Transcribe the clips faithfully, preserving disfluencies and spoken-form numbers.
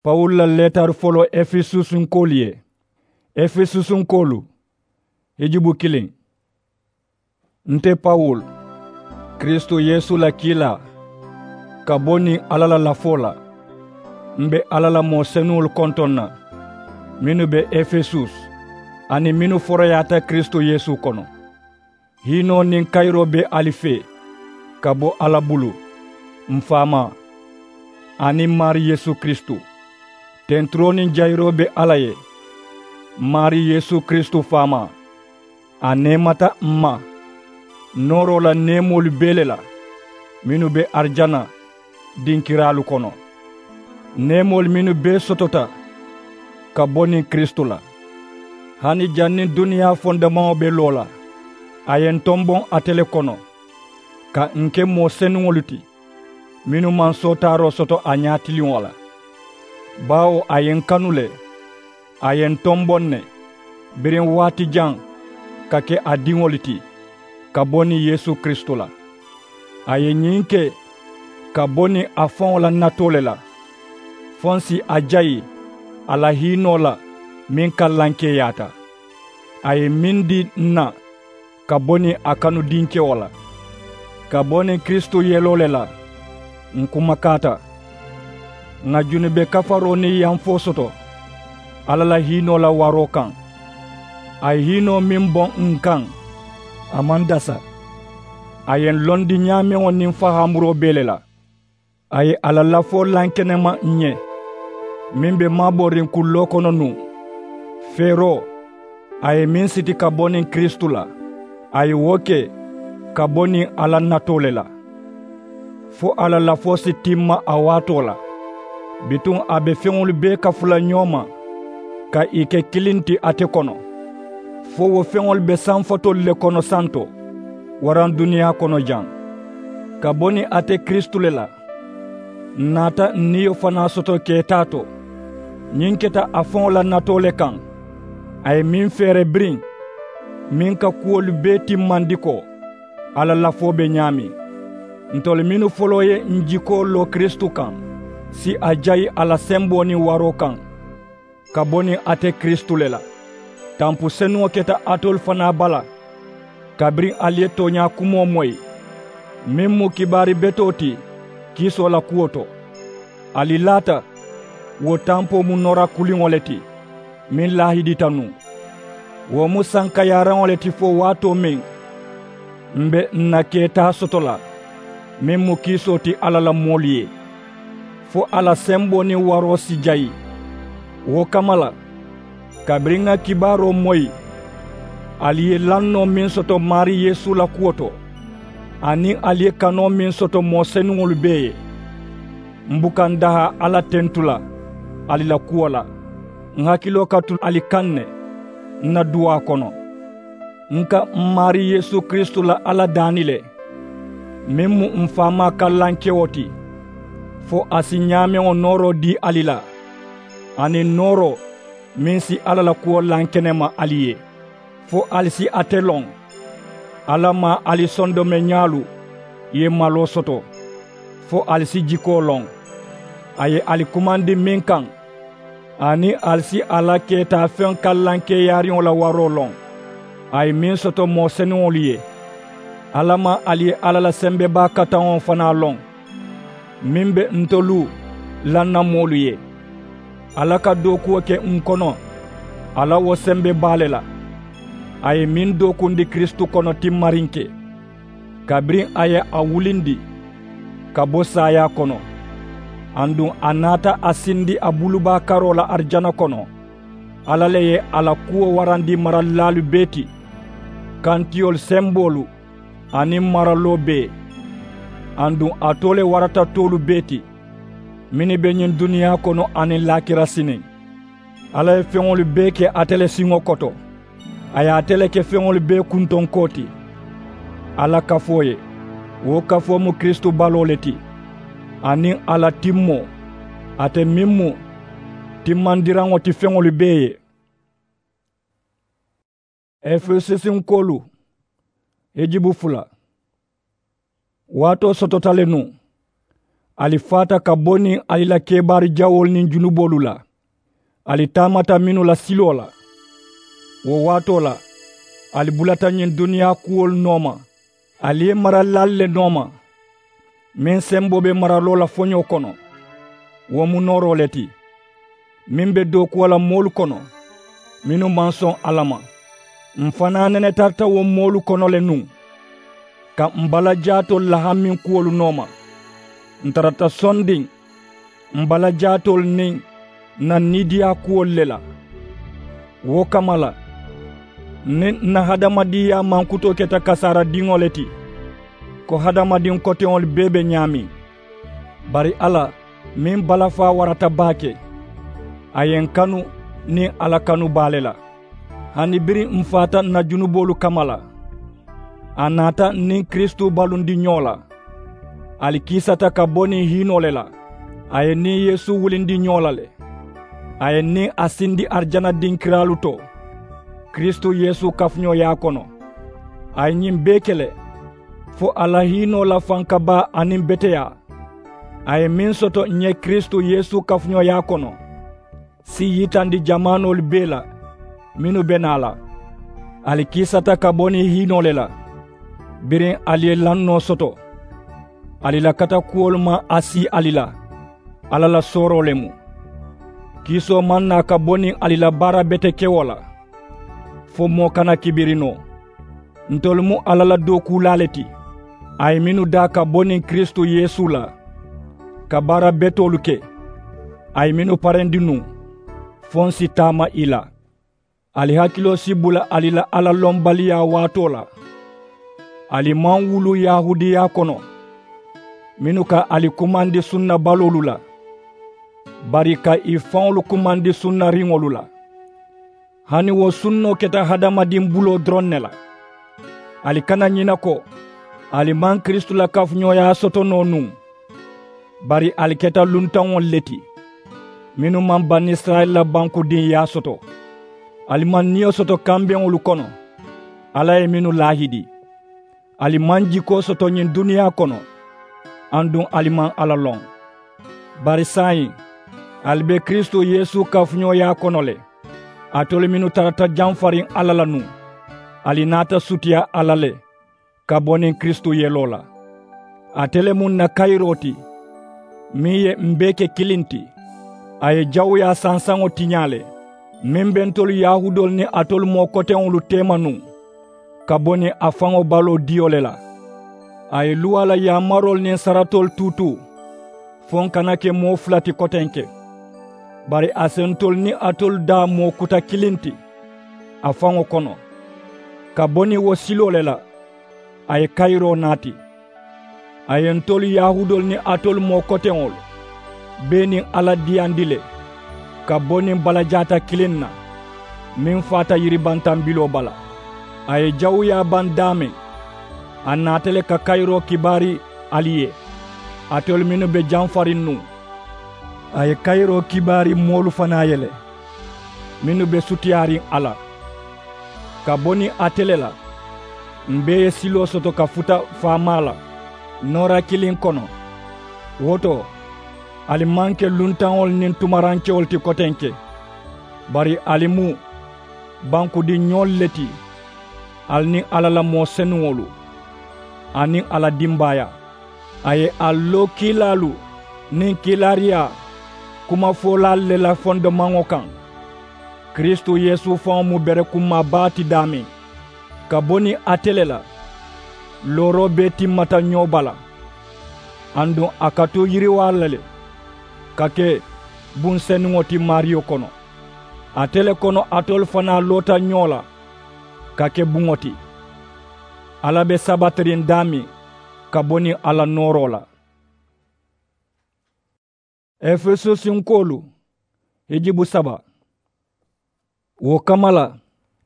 Pawulu la leetari foloo efesusunkoolu ye. Efesusunkoolu. Hijubu kiliŋ. Nte pawulu, kiristu yeesu la kiilaa, ka bo niŋ alla la lafoo la. M̀ be alla la moo senuŋolu kontoŋ na, mennu be efesusu, aniŋ mennu foroyaata kiristu yeesu kono. Hiinoo niŋ kayiroo be ali fee, ka bo alla bulu, m̀ faamaa, aniŋ m̀ maari yeesu kiristu. Tenturoo niŋ jayiroo be alla ye, m̀ maari yeesu kiristu faamaa. A neemata m̀ ma nooroo la neemoolu bee le la, mennu be arijana dinkiraalu kono. Neemoolu mennu bee sotota ka bo niŋ kiristu la, hani janniŋ duniyaa fondemaŋo be loo la, a ye ǹ tomboŋ ate le kono, ka ǹ ke moo senuŋolu ti, mennu maŋ sootaaroo soto a ñaatiliŋo la. Baawo a ye ǹ kanu le, a ye ǹ tomboŋ ne, biriŋ waati jaŋ, ka ke a diŋolu ti, ka bo niŋ yeesu kiristu la. A ye ñiŋ ke ka bo niŋ a faŋo la natoo le la, fo ǹ si a jayi a la hiinoo la, meŋ kallankeeyaata. A ye meŋ dii ǹ na ka bo niŋ a kanu dinkewo la, ka bo niŋ kiristu yeloo le la. Ǹ kumakaata, ŋà junube kafaroo niŋ yamfoo soto alla la hiinoo la waroo kaŋ. A ye hiinoo meŋ boŋ ǹ kaŋ, a maŋ dasa. A ye ǹ londi ñaameŋo niŋ fahaamuroo bee le la. A ye a la lafoo lankenema ǹ ye, meŋ be maabooriŋ kulloo kono nuŋ, feeroo, a ye meŋ siti ka bo niŋ kiristu la, a ye wo ke ka bo niŋ a la natoo le la, fo a la lafoo si timma a waatoo la. Bituŋ a be feŋolu bee kafu la ñoo ma, ka ì ke kiliŋ ti ate kono, fo wo feŋolu be sanfatoolu le kono santo, waraŋ duniyaa kono jaŋ, ka bo niŋ ate kiristu le la. Ǹ naata ǹ niyo fanaa soto keetaa to. Ñiŋ keta a faŋo la natoo le kaŋ, a ye meŋ feere biriŋ, meŋ ka kuwolu bee timmandi ko a la lafoo be ñaameŋ. Ntolu mennu foloo ye ǹ jikoo loo kiristu kaŋ si a jayi a la semboo niŋ waroo kaŋ, ka bo niŋ ate kiristu le la. Tampu senuŋo keta alitolu fanaa bala, kabiriŋ ali ye tooñaa kumoo moyi, meŋ mu kibaari betoo ti kiisoo la kuwo to. Ali laata, wo tampoo mu noora kuliŋo le ti, meŋ laahidita nuŋ. Wo mu sankayaaraŋo le ti fo waatoo meŋ m̀ be ǹ na keetaa soto la, meŋ mu kiisoo ti alla la moolu ye, fo a la semboo niŋ waroo si jayi. Wo kamma la, kabiriŋ ŋa kibaaroo moyi, ali ye lannoo meŋ soto maarii yeesu la kuwo to, aniŋ ali ye kanoo meŋ soto moo senuŋolu bee ye, m̀ buka ǹ dahaa alla tentu la ali la kuwo la. Ǹ hakiloo ka tu ali kaŋ ne ǹ na duwaa kono. Ǹ ka m̀ maarii yeesu kiristu la alla daani le, meŋ mu m̀ faamaa kallankewo ti, fo a si ñaameŋo nooroo dii ali la, aniŋ nooroo meŋ si alla la kuwo lankenema ali ye, fo ali si ate loŋ. Alla maŋ ali sondomeñaalu ye maloo soto, fo ali si jikoo loŋ. A ye ali kumandi meŋ kaŋ, aniŋ ali si a la keetaafeŋ kallankeeyaariŋo la waroo loŋ, a ye meŋ soto moo senuŋolu ye. Alla maŋ ali ye alla la sembebaa kataŋo fanaa loŋ, meŋ be ntolu lannamoolu ye. Alla ka dookuwo ke ǹ kono a la wo sembebaa le la. A ye meŋ dookundi kiristu kono timmariŋ ke, kabiriŋ a ye a wulindi ka bo saayaa kono, aduŋ a naata a sindi a bulubaa karoo la arijana kono. Alla le ye a la kuwo warandi maralilaalu bee ti, kantiyolu semboolu aniŋ maraloo bee, aduŋ a too le warata toolu bee ti, mennu be ñiŋ duniyaa kono aniŋ laakira siniŋ. Alla ye feŋolu bee ke ate le siŋo koto. A ye ate le ke feŋolu bee kuntonkoo ti. Alla kafoo ye, wo kafoo mu kiristu baloo le ti, aniŋ a la timmoo, ate meŋ mu timmandiraŋo ti feŋolu bee ye. Efesusunkoolu, hijubu fula. Waatoo sotota le nuŋ, Ali faata ka bo niŋ ali la kebaari jawoolu niŋ junuboolu la. Ali taamata mennu la siloo la. Wo waatoo la, ali bulata ñiŋ duniyaa kuwolu nooma. Ali ye maralilaalu le nooma, meŋ semboo be maraloo la foñoo kono. Wo mu nooroo le ti, meŋ be dookuwo la moolu kono, mennu maŋ soŋ alla ma. M̀ fanaa nene tarata wo moolu kono le nuŋ, ka m̀ balajaatoolu la hamiŋ kuwolu nooma. Ǹ tarata sondiŋ m̀ balajaatoolu niŋ ǹ na niidiyaa kuwolu le la. Wo kamma la, niŋ ǹ na hadamadiŋyaa mankutoo keta kasaara diŋo le ti, ko hadamadiŋ koteŋolu bee be ñaameŋ. Bari alla, meŋ balafaa warata baake, a ye ǹ kanu niŋ alla kanu baa le la. Hani biriŋ m̀ faata ǹ na junuboolu kamma la, a naata ǹ niŋ kiristu balundi ñoo la. Ali kiisata ka bo niŋ hiinoo le la. A ye ǹ niŋ yeesu wulindi ñoo la le. A ye ǹ niŋ a sindi arijana dinkiraalu to, kiristu yeesu kafuñooyaa kono. A ye ñiŋ bee ke le, fo a la hiinoo la fankabaa aniŋ beteyaa, a ye meŋ soto ǹ ye kiristu yeesu kafuñooyaa kono, si yitandi jamaanoolu bee la mennu be naa la. Ali kiisata ka bo niŋ hiinoo le la. Biriŋ ali ye lannoo soto, ali la katakuwolu maŋ a sii ali la. Alla la sooroo le mu. Kiisoo maŋ naa ka bo niŋ ali la baara betekewo la, fo moo kana kibiri noo. Ntolu mu alla la dookuulaa le ti, a ye mennu daa ka bo niŋ kiristu yeesu la, ka baara betoolu ke. A ye mennu parendi nuŋ, fo ǹ si taama ì la. Ali hakiloo si bula ali la alla lonbaliyaa waatoo la. Ali maŋ wulu yahuudiyaa kono, mennu ka ali kumandi sunna baloolu la, bari ka ì faŋolu kumandi sunnariŋolu la. Hani wo sunnoo keta hadamadiŋ buloo doroŋ ne la. Ali kana ñina ko ali maŋ kiristu la kafuñooyaa soto noo nuŋ, bari ali keta luntaŋolu le ti, mennu maŋ banisirayila la bankudiŋyaa soto. Ali maŋ niyo soto kambeŋolu kono, alla ye mennu laahidi. Ali maŋ jikoo soto ñiŋ duniyaa kono, aduŋ ali maŋ alla loŋ. Bari saayiŋ, ali be kiristu yeesu kafuñooyaa kono le. Alitolu mennu tarata jamfariŋ alla la nuŋ, ali naata sutiyaa alla le, ka bo niŋ kiristu yeloo la. Ate le mu ǹ na kayiroo ti, meŋ ye m̀ bee ke kiliŋ ti. A ye jawuyaa sansaŋo tiñaa le, meŋ be ntolu yahuudoolu niŋ alitolu moo koteŋolu teema nuŋ, ka bo niŋ a faŋo baloo diyo le la. A ye luwaa la yaamaroolu niŋ saratoolu tuutuu, fo ǹ kana ke moo fula ti kotenke. Bari a si ntolu niŋ alitolu daa moo kuta kiliŋ ti a faŋo kono, ka bo niŋ wo siloo le la. A ye kayiroo naati. A ye ntolu yahuudoolu niŋ alitolu moo koteŋolu bee niŋ alla diyandi le, ka bo niŋ balajaata kiliŋ na, meŋ faata yiribantambiloo bala. A ye jawuyaa baŋ daameŋ, a naata le ka kayiroo kibaari ali ye, alitolu mennu be jamfariŋ nuŋ. A ye kayiroo kibaari moolu fanaa ye le, mennu be sutiyaariŋ a la. Ka bo niŋ ate le la, m̀ bee ye siloo soto ka futa faamaa la noora kiliŋ kono. Wo to, ali maŋ ke luntaŋolu niŋ tumarankewolu ti kotenke, bari ali mu bankudiŋ ñoolu le ti, ali niŋ alla la moo senuŋolu, aniŋ a la dimbaayaa. A ye ali loo kiilaalu niŋ kiilaariyaa kumafoolaalu le la fondomaŋo kaŋ. Kiristu yeesu faŋo mu berekummaa baa ti daameŋ, ka bo niŋ ate le la, looroo bee timmata ñoo bala. Aduŋ a ka tu yiriwaa la le, ka ke buŋ senuŋo ti maariyo kono. Ate le kono alitolu fanaa loota ñoo la, ka ke buŋo ti. Alla be sabatiriŋ daameŋ ka bo niŋ a la nooroo la. Efesusinkoolu, hijibu saba. Wo kamma la,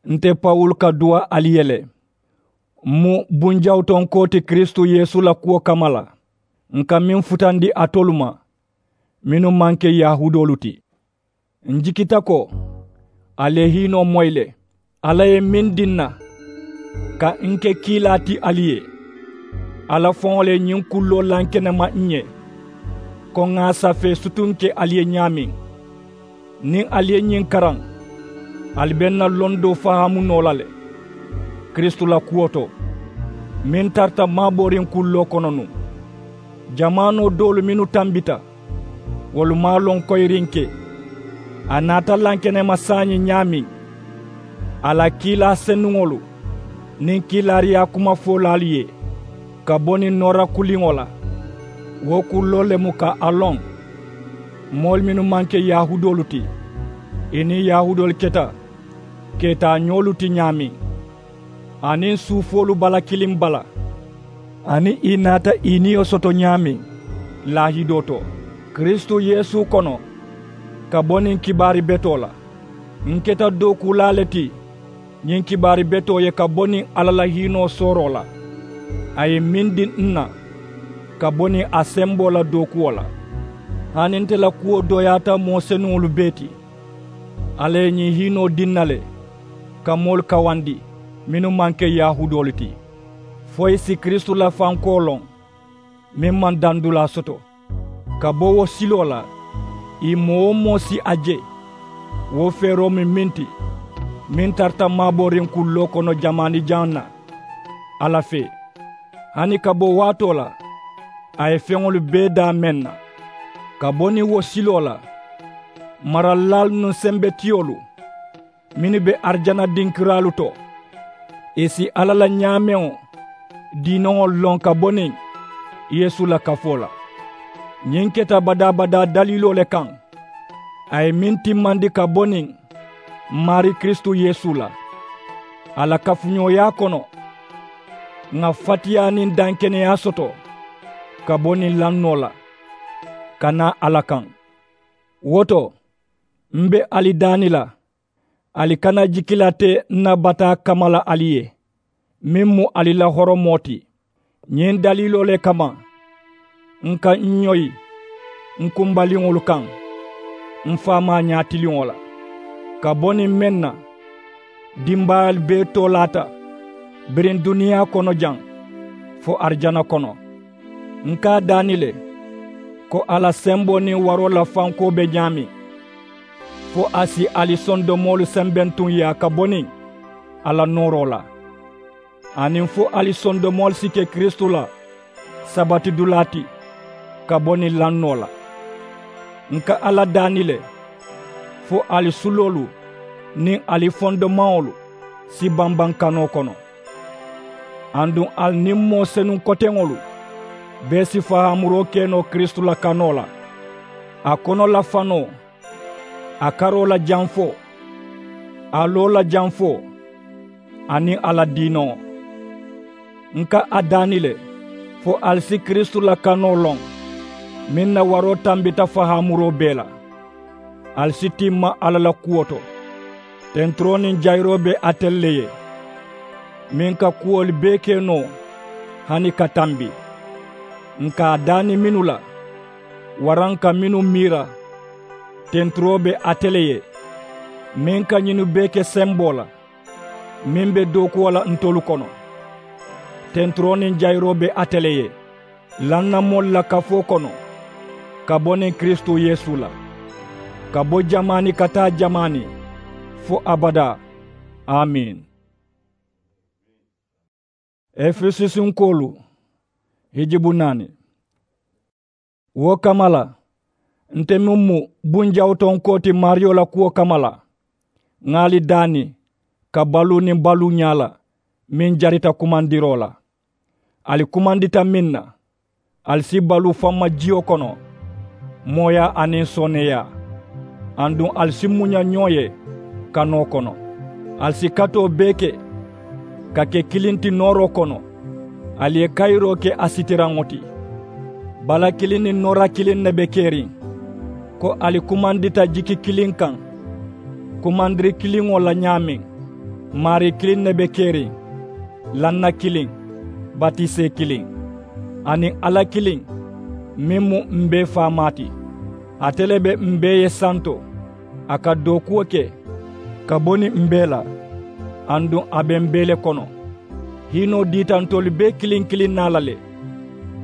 nte pawulu ka duwa ali ye le, m̀ mu bunjawutonkoo ti kiristu yeesu la kuwo kamma la, ǹ ka meŋ futandi alitolu ma, mennu maŋ ke yahuudoolu ti. Ǹ jikita ko ali ye hiinoo moyi le, alla ye meŋ diŋ na ka ǹ ke kiilaa ti ali ye. Alla faŋo le ye ñiŋ kulloo lankenema ǹ ye, ko ŋà a safee sutuŋ ke ali ye ñaameŋ. Niŋ ali ye ñiŋ karaŋ, ali be ǹ na londoo fahaamu noo la le kiristu la kuwo to, meŋ tarata maabooriŋ kulloo kono nuŋ. Jamaanoo doolu mennu tambita, wolu maŋ a loŋ koyiriŋ ke. A naata lankenema saayiŋ ñaameŋ, a la kiilaa senuŋolu niŋ kiilaariyaa kumafoolaalu ye, ka bo niŋ noora kuliŋo la. Wo kulloo le mu ka a loŋ, moolu mennu maŋ ke yahuudoolu ti, ì niŋ yahuudoolu keta keetaañoolu ti ñaameŋ, aniŋ suufoolu bala kiliŋ bala, aniŋ ì naata ì niyo soto ñaameŋ laahidoo to kiristu yeesu kono, ka bo niŋ kibaari betoo la. Ǹ keta dookuulaa le ti ñiŋ kibaari betoo ye ka bo niŋ alla la hiinoo sooroo la. A ye meŋ dii ǹ na ka bo niŋ a semboo la dookuwo la. Hani nte la kuwo dooyaata moo senuŋolu bee ti, alla ye ñiŋ hiinoo dii ǹ na le ka moolu kawandi mennu maŋ ke yahuudoolu ti, fo ì si kiristu la fankoo loŋ, meŋ maŋ dandulaa soto. Ka bo wo siloo la, ì moo-wo-moo si a je. Wo feeroo mu meŋ ti, meŋ tarata maabooriŋ kulloo kono jamaani jaŋ na alla fee. Hani ka bo waatoo la, a ye feŋolu bee daa meŋ na. Ka bo niŋ wo siloo la, maralilaalu niŋ sembetiyolu mennu be arijana dinkiraalu to, ì si alla la ñaameŋo diinoŋolu loŋ ka bo niŋ yeesu la kafoo la. Ñiŋ keta badaa-badaa daliiloo le kaŋ, a ye meŋ timmandi ka bo niŋ maarii kiristu yeesu la. A la kafuñooyaa kono, ŋà fatiyaa niŋ dankeneyaa soto ka bo niŋ lannoo la, ka naa alla kaŋ. Wo to, m be ali daani la, ali kana jikilate n na bataa kamala ali ye, meŋ mu ali la horomoo ti. Ñiŋ daliiloo le kamma, n ka n ñoyi n kumbaliŋolu kaŋ, m faamaa ñaatiliŋo la, ka bo niŋ meŋ na, dimbaayaalu bee toolaata biriŋ duniyaa kono jaŋ, fo arijana kono. N ka a daani le, ko a la semboo niŋ waroo la fankoo be ñaameŋ, fo a si ali sondomoolu sembentuŋ yaa ka bo niŋ a la nooroo la, aniŋ fo ali sondomoolu si ke kiristu la sabatidulaa ti ka bo niŋ lannoo la. N ka alla daani le, fo ali suloolu niŋ ali fondomaŋolu si bambaŋ kanoo kono. Aduŋ ali niŋ moo senuŋ koteŋolu bee si fahaamuroo ke noo kiristu la kanoo la, a kono la fanoo, a karoo la janfoo, a loo la janfoo, aniŋ a la diinoŋo. N ka a daani le, fo ali si kiristu la kanoo loŋ, meŋ na waroo tambita fahaamuroo bee la. Ali si timma alla la kuwo to, tenturoo niŋ jayiroo be ate le ye, meŋ ka kuwolu bee ke noo hani ka tambi. N ka a daani mennu la, waraŋ ka mennu miira, tenturoo be ate le ye, meŋ ka ñinnu bee ke semboo la, meŋ be dookuwo la ntolu kono. Tenturoo niŋ jayiroo be ate le ye, lannamoolu la kafoo kono, ka bo niŋ kiristu yeesu la, ka bo jamaani ka taa jamaani, fo abadaa. Amiin. Efesusunkoolu, hijibu naani. Wo kamma la, nte meŋ mu bunjawutonkoo ti maariyo la kuwo kamma la, ŋà ali daani ka baluu niŋ baluuñaa la meŋ jarita kumandiroo la. Ali kumandita meŋ na, ali si baluu famma jiyo kono, mooyaa aniŋ sooneeyaa. Aduŋ ali si muña ñoo ye kanoo kono. Ali si katoo bee ke ka ke kiliŋ ti nooroo kono. Ali ye kayiroo ke a sitiraŋo ti. Bala kiliŋ niŋ noora kiliŋ ne be keriŋ, ko ali kumandita jiki kiliŋ kaŋ, kumandiri kiliŋo la ñaameŋ. Maarii kiliŋ ne be keriŋ, lanna kiliŋ, batisee kiliŋ, aniŋ alla kiliŋ, meŋ mu m bee faamaa ti. Ate le be m bee ye santo, a ka dookuwo ke ka bo niŋ m bee la, aduŋ a be m bee le kono. Hiinoo diita ntolu bee kiliŋ kiliŋ naa la le,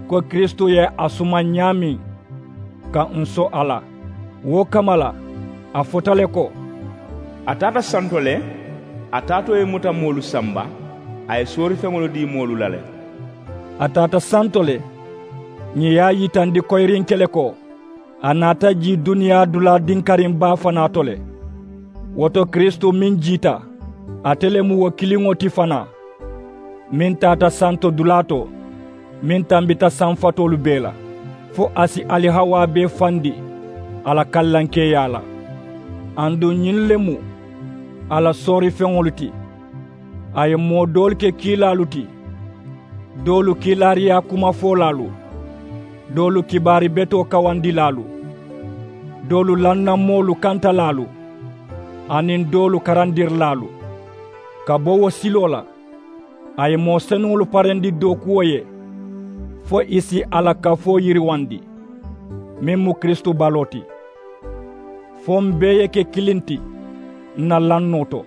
ko kiristu ye a sumaŋ ñaameŋ, ka ǹ so a la. Wo kamma la, a fota le ko, a taata santo le, a taatoo ye muta moolu samba, a ye soorifeŋolu dii moolu la le. A taata santo le, ñiŋ ye a yitandi koyiriŋ ke le ko, a naata jii duniyaa dulaa dinkariŋ baa fanaa to le. Wo to kiristu meŋ jiita, ate le mu wo kiliŋo ti fanaa, meŋ taata santo dulaa to, meŋ tambita saŋ fatoolu bee la, fo a si ali hawaa bee fandi a la kallankeeyaa la. Aduŋ ñiŋ le mu a la soorifeŋolu ti. A ye moo doolu ke kiilaalu ti, doolu kiilaariyaa kumafoolaalu, doolu kibaari betoo kawandilaalu, doolu lannamoolu kantalaalu, aniŋ doolu karandirilaalu. Ka bo wo siloo la, a ye moo senuŋolu parendi dookuwo ye, fo i si a la kafoo yiriwandi, meŋ mu kiristu baloo ti. Fo m bee ye ke kiliŋ ti n na lannoo to,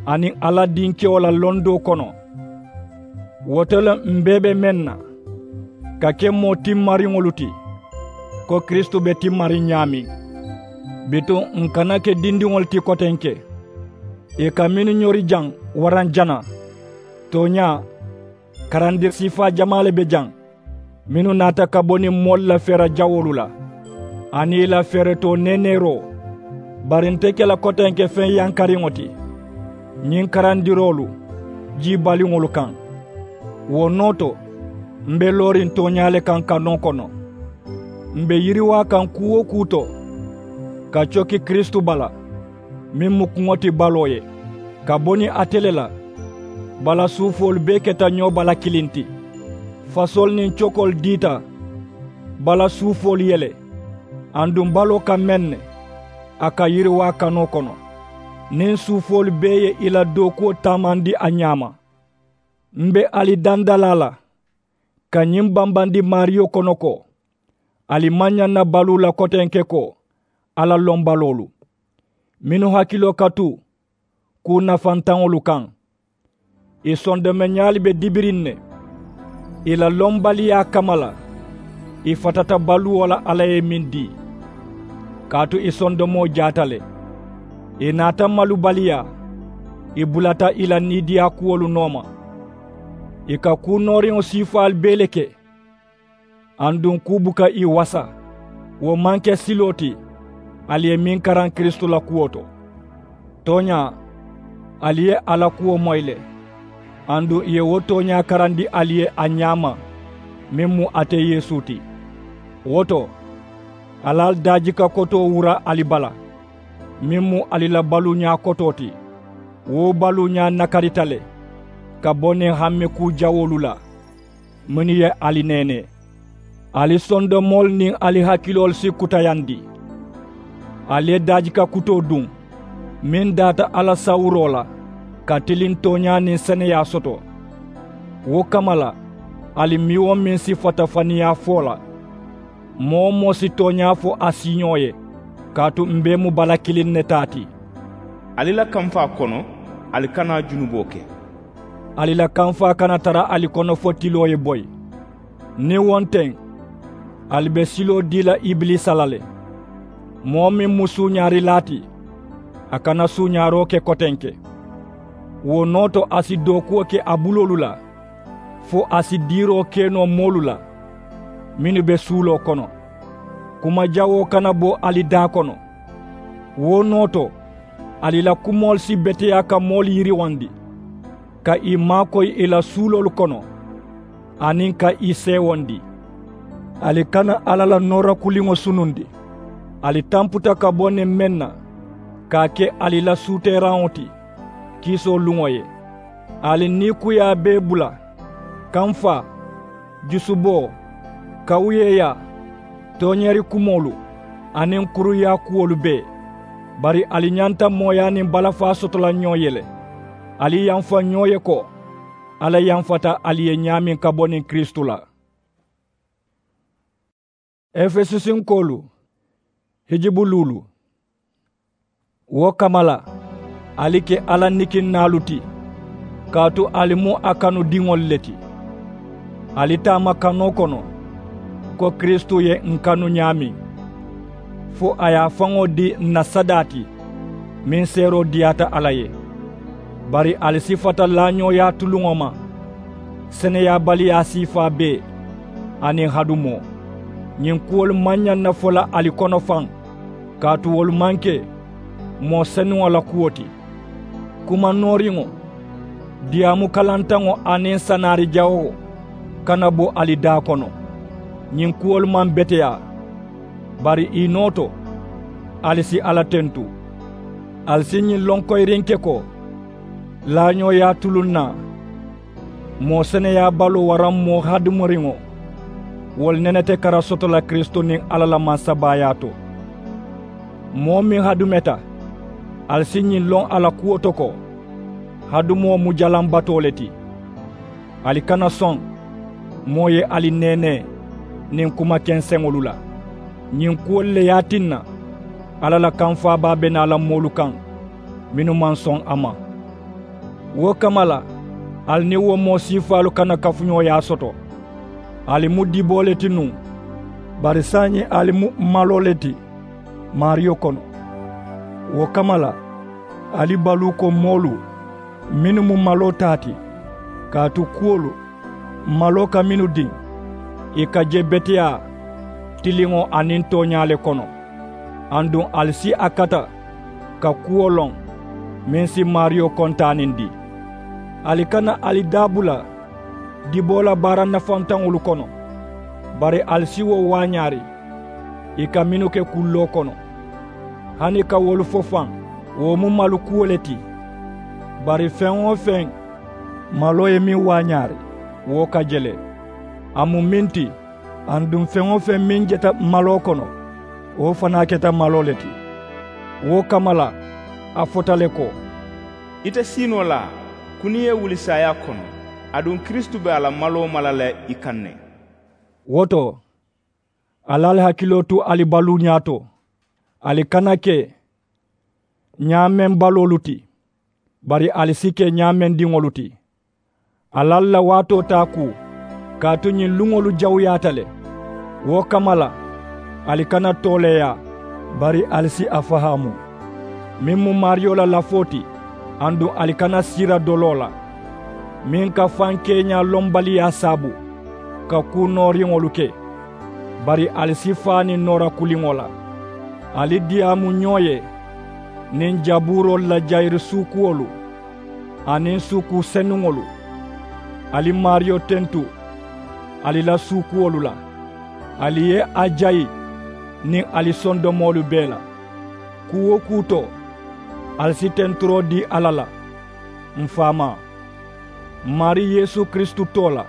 aniŋ alla dinkewo la londoo kono. Wo to le m bee be meŋ na, ka ke moo timmariŋolu ti, ko kiristu be timmariŋ ñaameŋ. Bituŋ n kana ke dindiŋolu ti kotenke, ì ka mennu ñori jaŋ waraŋ jana. Tooñaa, karandiri siifaa jamaa le be jaŋ, mennu naata ka bo niŋ moolu la feera jawoolu la, aniŋ ì la feeretoo neeneeroo. Bari nte ke la kotenke feŋ yankariŋo ti ñiŋ karandiroolu jii baliŋolu kaŋ. Wo noo to, m be looriŋ tooñaa le kaŋ kanoo kono. M be yiriwaa kaŋ kuu-wo-kuu to, ka coki kiristu bala, meŋ mu kuŋo ti baloo ye, ka bo niŋ ate le la. Bala suufoolu bee keta ñoo bala kiliŋ ti. Fasoolu niŋ cokoolu diita bala suufoolu ye le. Aduŋ baloo ka meŋ ne, a ka yiriwaa kanoo kono, niŋ suufoolu bee ye ì la dookuwo taamandi a ñaama. M be ali dandalaa la ka ñiŋ bambandi maariyo kono ko, ali maŋ ñaŋ na baluu la kotenke ko alla lombaloolu, mennu hakiloo ka tu kuu nafantaŋolu kaŋ. Ì sondomeñaalu be dibiriŋ ne, ì la lombaliyaa kamma la. Ì fatata baluwo la alla ye meŋ dii, kaatu ì sondomoo jaata le. Ì naata malubaliyaa, ì bulata ì la niidiyaa kuwolu nooma. Ì ka kuu nooriŋo siifaalu bee le ke, aduŋ kuu buka ì wasa. Wo maŋ ke siloo ti ali ye meŋ karaŋ kiristu la kuwo to. Tooñaa, ali ye a la kuwo moyi le, aduŋ ì ye wo tooñaa karandi ali ye a ñaama, meŋ mu ate yeesu ti. Wo to, ali ali daajika kotoo wura ali bala, meŋ mu ali la baluuñaa kotoo ti. Wo baluuñaa nakarita le ka bo niŋ hamme kuu jawoolu la, mennu ye ali neenee. Ali sondomoolu niŋ ali hakiloolu si kutayandi. Ali ye daajika kutoo duŋ, meŋ daata alla sawuroo la, ka tiliŋ tooñaa niŋ seneyaa soto. Wo kamma la, ali meŋ-wo-meŋ si fatafaniyaa fo la, moo-wo-moo si tooñaa fo a siiñoo ye, kaatu m bee mu bala kiliŋ ne taa ti. Ali la kamfaa kono, ali kana junuboo ke. Ali la kamfaa kana tara ali kono fo tiloo ye boyi. Niŋ wo nteŋ, ali be siloo dii la ibiliisa la le. Moo meŋ mu suuñaarilaa ti, a kana suuñaaroo ke kotenke. Wo noo to a si dookuwo ke a buloolu la, fo a si diiroo ke noo moolu la, mennu be suuloo kono. Kuma jawoo kana bo ali daa kono. Wo noo to, ali la kumoolu si beteyaa ka moolu yiriwandi, ka ì maakoyi ì la suuloolu kono, aniŋ ka ì seewondi. Ali kana alla la noora kuliŋo sunundi. Ali tamputa ka bo niŋ meŋ na, ka a ke ali la suuteeraŋo ti kiisoo luŋo ye. Ali niikuyaa bee bula, kamfaa, jusuboo, kawuyeeyaa, tooñeeri kumoolu, aniŋ kuruyaa kuwolu bee. Bari ali ñanta mooyaa niŋ balafaa soto la ñoo ye le. Ali yamfa ñoo ye ko alla yamfata ali ye ñaameŋ ka bo niŋ kiristu la. Efesusinkoolu, hijibu luulu. Wo kamma la, ali ke alla nikinnaalu ti, kaatu ali mu a kanudiŋolu le ti. Ali taama kanoo kono, Ko kiristu ye ǹ kanu ñaameŋ fo a ye a faŋo dii ǹ na sadaa ti meŋ seeroo diyaata alla ye. Bari ali sifata laañooyaa tuluŋo ma seneyaabaliyaa siifaa bee aniŋ hadumoo. Ñiŋ kuwolu maŋ ñaŋ na fo la ali kono faŋ kaatu wolu maŋ ke moo senuŋo la kuwo ti. Kuma nooriŋo diyaamu kalantaŋo aniŋ sanaari jawoo kana bo ali daa kono. Ñiŋ kuwolu maŋ beteyaa bari ì noo to ali si alla tentu. Ali si ñiŋ loŋ koyirinke ko laañooyaa tuluŋ naa moo seneyaabaloo waraŋ moo hadumariŋo wolu nene te kara soto la kiristu niŋ alla la mansabaayaa to. Moo meŋ hadumeta ali si ñiŋ loŋ a la kuwo to ko hadumoo mu jalaŋ batoo le ti. Ali kana soŋ moo ye ali neenee niŋ kuma kenseŋolu la. Ñiŋ kuwolu le ye a tinna alla la kamfaabaa be naa la moolu kaŋ mennu maŋ soŋ a ma. Wo kamma la ali niŋ wo moo siifaalu kana kafuñooyaa soto. Ali mu diboo le ti nuŋ bari saayiŋ ali mu maloo le ti maariyo kono. Wo kamma la ali baluu ko moolu mennu mu maloo taa ti kaatu kuwolu maloo ka mennu diŋ ì ka je beteyaa tiliŋo aniŋ tooñaa le kono. Aduŋ ali si a kata ka kuwo loŋ meŋ si maariyo kontaanindi. Ali kana ali daa bula diboo la baara nafantaŋolu kono bari ali si wo waañaari ì ka mennu ke kulloo kono. Hani ka wolu fo faŋ wo mu malu kuwo le ti. Bari feŋ-wo-feŋ maloo ye meŋ waañaari wo ka je le. A mu meŋ ti aduŋ feŋ-wo-feŋ meŋ jeta maloo kono wo fanaa keta maloo le ti. Wo kamma la a fota le ko ite siinoo la kuniye wuli saayaa kono aduŋ kiristu be a la maloo mala la i kaŋ ne. Wo to ali ali hakiloo tu ali baluuñaa to. Ali kana ke ñaameŋ baloolu ti bari ali si ke ñaamendiŋolu ti. Ali ali la waatoo taa kuu kaatu ñiŋ luŋolu jawuyaata le. Wo kamma la ali kana tooleeyaa bari ali si a fahaamu meŋ mu maariyo la lafoo ti. Aduŋ ali kana siira doloo la meŋ ka fankeeñaa lombaliyaa saabu ka kuu nooriŋolu ke. Bari ali si faa niŋ noora kuliŋo la ali diyaamu ñoo ye niŋ jabuuroolu la jayiri suukuwolu aniŋ suukuu senuŋolu. Ali maariyo tentu ali la suukuwolu la ali ye a jayi niŋ ali sondomoolu bee la. Kuu-wo-kuu to ali si tenturoo dii alla la m faamaa m maarii yeesu kiristu too la.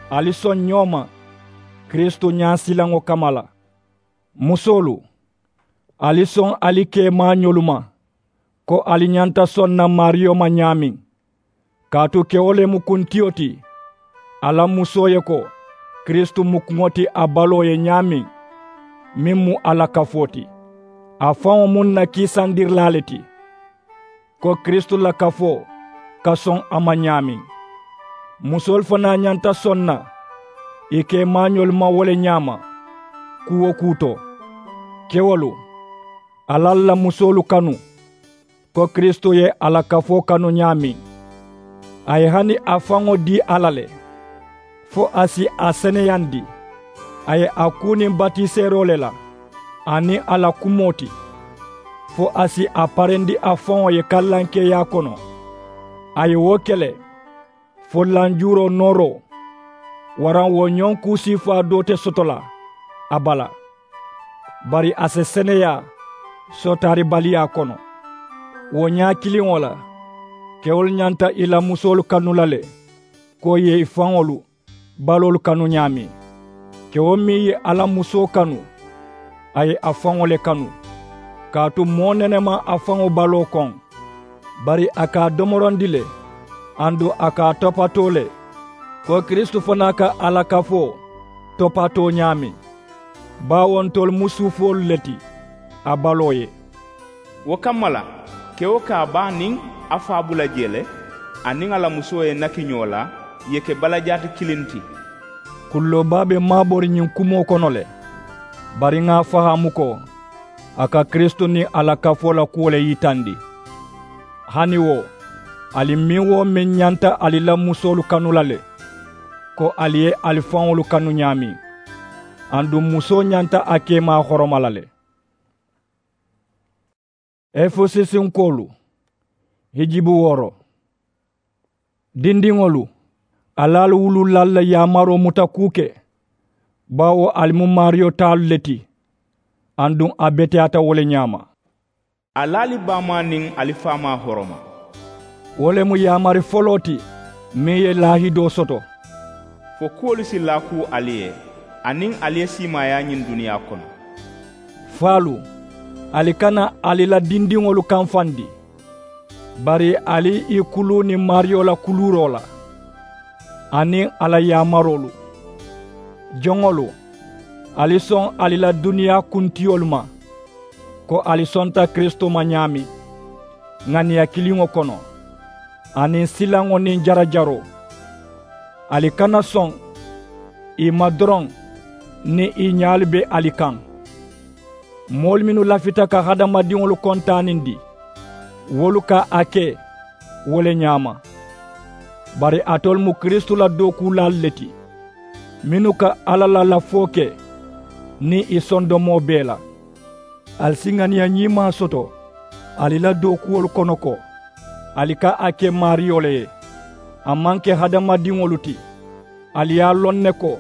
Ali soŋ ñoo ma kiristu ñaasilaŋo kamma la. Musoolu ali soŋ ali keemaañolu ma ko ali ñanta soŋ na maariyo ma ñaameŋ. Kaatu kewo le mu kuntiyo ti a la musoo ye ko kiristu mu kuŋo ti a baloo ye ñaameŋ meŋ mu a la kafoo ti. A faŋo mu ǹ na kiisandirilaa le ti ko kiristu la kafoo ka soŋ a ma ñaameŋ. Musoolu fanaa ñanta soŋ na ì keemaañolu ma wo le ñaama. Kuu-wo-kuu to kewolu ali ali la musoolu kanu ko kiristu ye a la kafoo kanu ñaameŋ. A ye hani a faŋo dii alla le fo a si a seneyandi. A ye a kuu niŋ batiseeroo le la aniŋ a la kumoo ti fo a si a parendi a faŋo ye kallankeeyaa kono. A ye wo ke le fo lanjuuroo nooroo waraŋ wo ñoŋ kuu siifaa doo te soto la a bala. Bari a si seneyaa sootaaribaliyaa kono. Wo ñaa kiliŋo la kewolu ñanta ì la musoolu kanu la le ko ì ye ì faŋolu baloolu kanu ñaameŋ. Kewo meŋ ye a la musoo kanu a ye a faŋo le kanu. Kaatu moo nene maŋ a faŋo baloo koŋ bari a ka a domorondi le. Aduŋ a ka a topatoo le ko kiristu fanaa ka a la kafoo topatoo ñaameŋ. Baawo ntolu mu suufoolu le ti a baloo ye. Wo kamma la kewo ka a baa niŋ a faa bula jee le a niŋ a la musoo ye naki ñoo la ì ye ke balajaati kiliŋ ti. Kulloo baa be maabori ñiŋ kumoo kono le. Bari ŋà a fahaamu ko a ka kiristu niŋ a la kafoo la kuwo le yitandi. Hani wo, ali meŋ-wo-meŋ ñanta ali la musoolu kanu la le, ko ali ye ali faŋolu kanu ñaameŋ. Aduŋ musoo ñanta a keemaa horoma la le. Efesusinkoolu, hijibu wooro. Dindiŋolu, ali ali wuluulaalu la yaamaroo muta kuu ke, baawo ali mu maariyo taalu le ti. Aduŋ a beteyaata wo le ñaama. Ali ali baamaa niŋ ali faamaa horoma. Wo le mu yaamari foloo ti meŋ ye laahidoo soto. Fo kuwolu si laakuu ali ye, aniŋ ali ye siimaayaa ñiŋ duniyaa kono. Faalu, ali kana ali la dindiŋolu kamfandi, bari ali i kuluu niŋ maariyo la kuluuroo la, aniŋ a la yaamaroolu. Joŋolu, ali soŋ ali la duniyaa kuntiyolu ma, ko ali sonta kiristu ma ñaameŋ, ŋaniya kiliŋo kono, aniŋ silaŋo niŋ jarajaroo. Ali kana soŋ i ma doroŋ niŋ i ñaalu be ali kaŋ. Moolu mennu lafita ka hadamadiŋolu kontaanindi, wolu ka a ke wo le ñaama. Bari alitolu mu kiristu la dookuulaalu le ti, mennu ka alla la lafoo ke niŋ i sondomoo bee la. Ali si ŋaniya ñiimaa soto ali la dookuwolu kono ko, ali ka a ke maariyo le ye, a maŋ ke hadamadiŋolu ti. Ali ye a loŋ ne ko,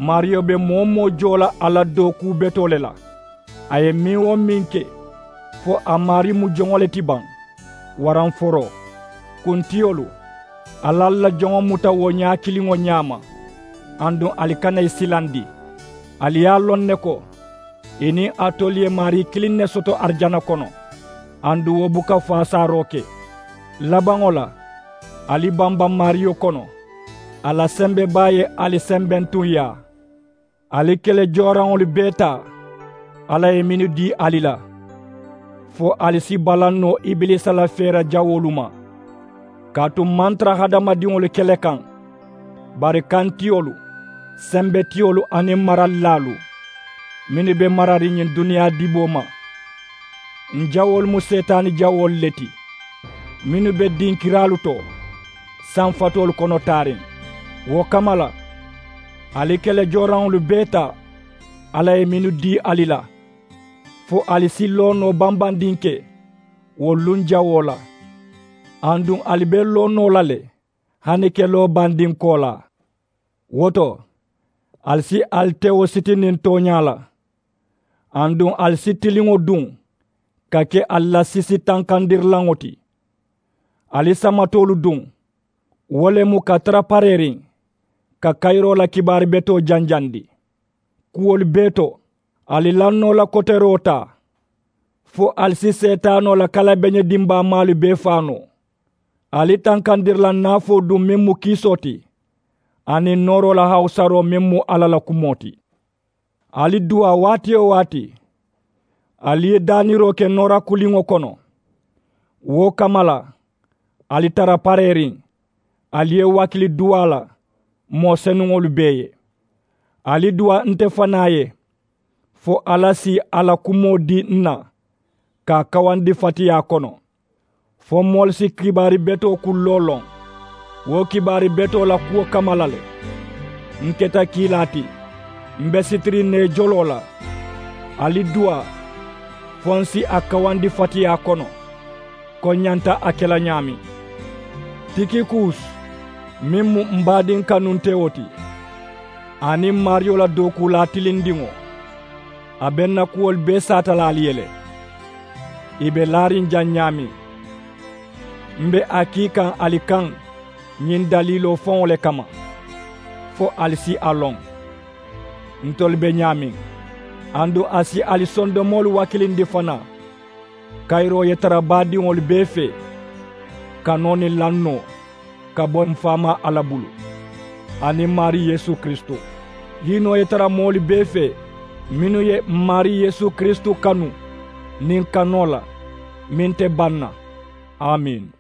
maariyo be moo-wo-moo joo la a la dookuu betoo le la. A ye meŋ-wo-meŋ ke, fo a maarii mu joŋo le ti baŋ, waraŋ foroo, kuntiyolu, ali ali la joŋo muta wo ñaa kiliŋo ñaama. Aduŋ ali kana i silandi. Ali ye a loŋ ne ko, i niŋ alitolu ye maarii kiliŋ ne soto arijana kono. Aduŋ wo buka faasaaroo ke. Labaŋo la, ali bamba maariyo kono, a la sembebaa ye ali sembentuŋ yaa. Ali kele jooraŋolu bee taa, alla ye mennu dii ali la, fo ali si balaŋ noo ibiliisa la feera jawoolu ma. Kaatu m maŋ tara hadamadiŋolu kele kaŋ, bari kantiyolu, sembetiyolu aniŋ maralilaalu, mennu be marariŋ ñiŋ duniyaa diboo ma. Ǹ jawoolu mu seetaani jawoolu le ti, mennu be dinkiraalu to, sanfatoolu kono taariŋ. Wo kamma la, ali kele jooraŋolu bee taa, alla ye mennu dii ali la, fo ali si loonoo bambandiŋ ke wo luŋ jawoo la. Aduŋ ali be loonoo la le, hani keloo bandiŋ koolaa. Wo to, ali si ali tewo sitiniŋ tooñaa la. Aduŋ ali si tiliŋo duŋ ka ke ali la sisi tankandirilaŋo ti. Ali samatoolu duŋ, wo le mu ka tara pareeriŋ ka kayiroo la kibaari betoo janjandi. Kuwolu bee to, ali lannoo la koteroo taa, fo ali si seetaanoo la kalabeñe dimbaamaalu bee faa noo. Ali tankandiri la naafoo duŋ meŋ mu kiisoo ti, aniŋ nooroo la hawusaroo meŋ mu alla la kumoo ti. Ali duwaa waati-wo-waati, ali ye daaniroo ke noora kuliŋo kono. Wo kamma la, ali tara pareeriŋ, ali ye wakili duwaa la moo senuŋolu bee ye. Ali duwaa nte fanaa ye, fo alla si a la kumoo dii n na, ka a kawandi fatiyaa kono, fo moolu si kibaari betoo kulloo loŋ. Wo kibaari betoo la kuwo kamma la le, n keta kiilaa ti, m be sitiriŋ ne joloo la. Ali duwaa, fo n si a kawandi fatiyaa kono, ko n ñanta a ke la ñaameŋ. Tikikuus, meŋ mu m baadiŋ kanuntewo ti, aniŋ maariyo la dookuulaa tilindiŋo, a be n na kuwolu bee saata la ali ye le. Ì be laariŋ jaŋ ñaameŋ. M be a kii kaŋ ali kaŋ ñiŋ daliiloo faŋo le kamma, fo ali si a loŋ. Ntolu be ñaameŋ, aduŋ a si ali sondomoolu wakilindi fanaa. Kayiroo ye tara baadiŋolu bee fee, kanoo niŋ lannoo ka bo m faamaa alla bulu, aniŋ maarii yeesu kiristu. Hiinoo ye tara moolu bee fee mennu ye m maarii yeesu kiristu kanu niŋ kanoo la meŋ te baŋ na. Amiini.